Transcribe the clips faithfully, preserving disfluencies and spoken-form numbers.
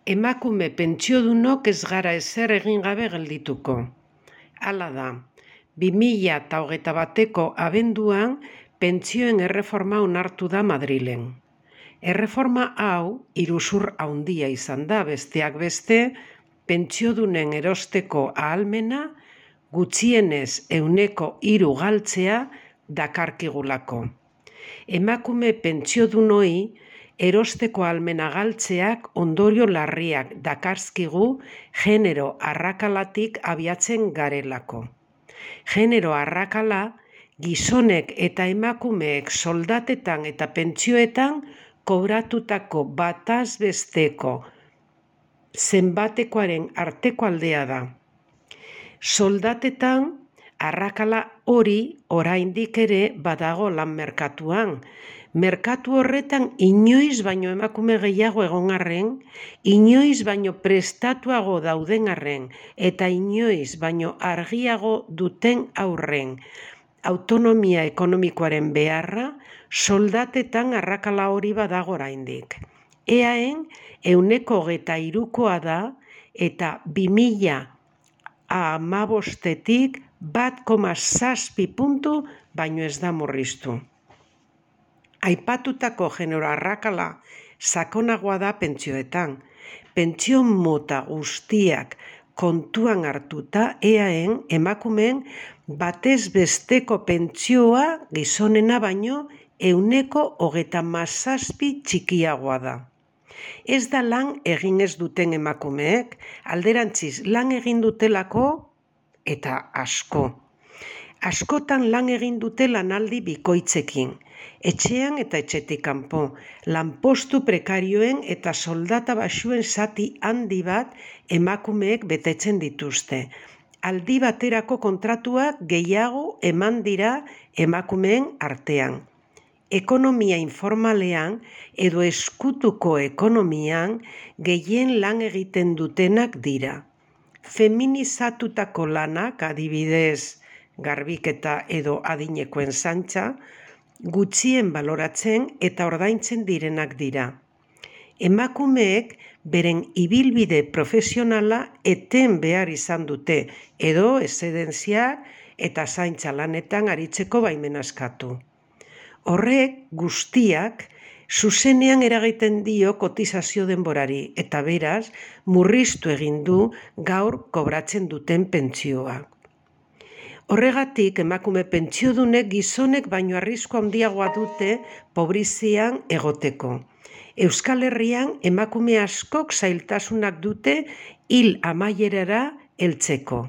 Emakume pentsiodunok ez gara ezer egin gabe geldituko. Hala da, bi mila hogeita bateko abenduan pentsioen erreforma onartu da Madrilen. Erreforma hau iruzur handia izan da, besteak beste, pentsiodunen erosteko ahalmena gutxienez ehuneko hiru galtzea dakarkigulako. Emakume pentsiodunoi erosteko ahalmena galtzeak ondorio larriak dakarzkigu genero arrakalatik abiatzen garelako. Genero arrakala gizonek eta emakumeek soldatetan eta pentsioetan kobratutako bataz besteko zenbatekoaren arteko aldea da. Soldatetan arrakala hori oraindik ere badago lan merkatuan. Merkatu horretan inoiz baino emakume gehiago egon arren, inoiz baino prestatuago dauden arren, eta inoiz baino argiago duten aurren. Autonomia ekonomikoaren beharra, soldatetan arrakala hori badago oraindik. Eaen ehuneko hogeita hirukoa da eta bi mila hamabostetik bat koma zazpi puntu baino ez da murriztu. Aipatutako genero arrakala sakonagoa da pentsioetan. Pentsio mota guztiak kontuan hartuta eaen emakumeen batez besteko pentsioa gizonena baino ehuneko hogeita hamazazpi txikiagoa da. Ez da lan egin ez duten emakumeek, alderantziz lan egin dutelako eta asko. Askotan lan egin dute lanaldi bikoitzekin, etxean eta etxetik kanpo, lanpostu prekarioen eta soldata baxuen zati handi bat emakumeek betetzen dituzte. Aldi baterako kontratuak gehiago eman dira emakumeen artean. Ekonomia informalean edo eskutuko ekonomian gehien lan egiten dutenak dira. Feminizatutako lanak, adibidez, garbiketa edo adinekoen zantza, gutxien baloratzen eta ordaintzen direnak dira. Emakumeek beren ibilbide profesionala eten behar izan dute edo eszedentzia eta zaintza lanetan aritzeko baimena eskatu. Horrek guztiak zuzenean eragiten dio kotizazio denborari eta beraz murriztu egin du gaur kobratzen duten pentsioa. Horregatik emakume pentsiodunek gizonek baino arrisku handiagoa dute pobrizian egoteko. Euskal Herrian emakume askok zailtasunak dute hil amaierara heltzeko.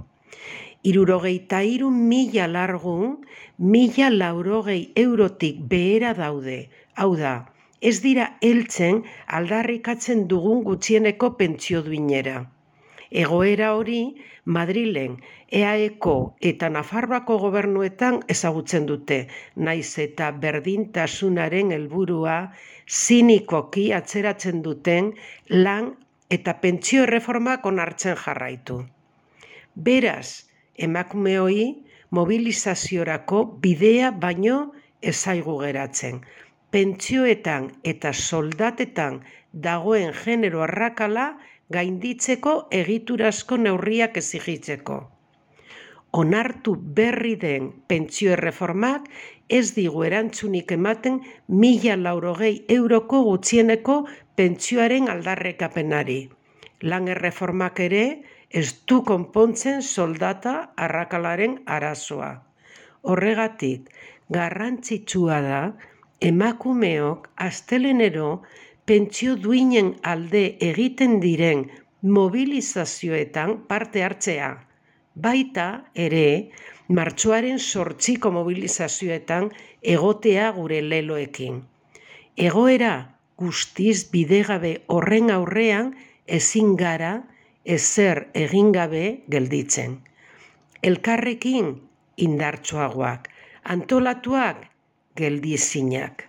Hirurogeita hiru mila largun, mila laurogei eurotik behera daude. Hau da, ez dira heltzen aldarrikatzen dugun gutxieneko pentsio duinera. Egoera hori Madrilen, eaeko eta Nafarroako gobernuetan ezagutzen dute, naiz eta berdintasunaren helburua zinikoki atzeratzen duten lan eta pentsio erreformak onartzen jarraitu. Beraz, emakumeoi mobilizaziorako bidea baino ez zaigu geratzen. Pentsioetan eta soldatetan dagoen genero arrakala gainditzeko egiturazko neurriak exigitzeko. Onartu berri den pentsio erreformak ez digu erantzunik ematen mila laurogei euroko gutxieneko pentsioaren aldarrekapenari. Lan erreformak ere ez du konpontzen soldata arrakalaren arazoa. Horregatik, garrantzitsua da emakumeok astelenero pentsio duinen alde egiten diren mobilizazioetan parte hartzea. Baita ere, martxoaren zortziko mobilizazioetan egotea gure leloekin. Egoera guztiz bidegabe horren aurrean ezin gara ezer egin gabe gelditzen. Elkarrekin indartsuagoak, antolatuak geldizinak.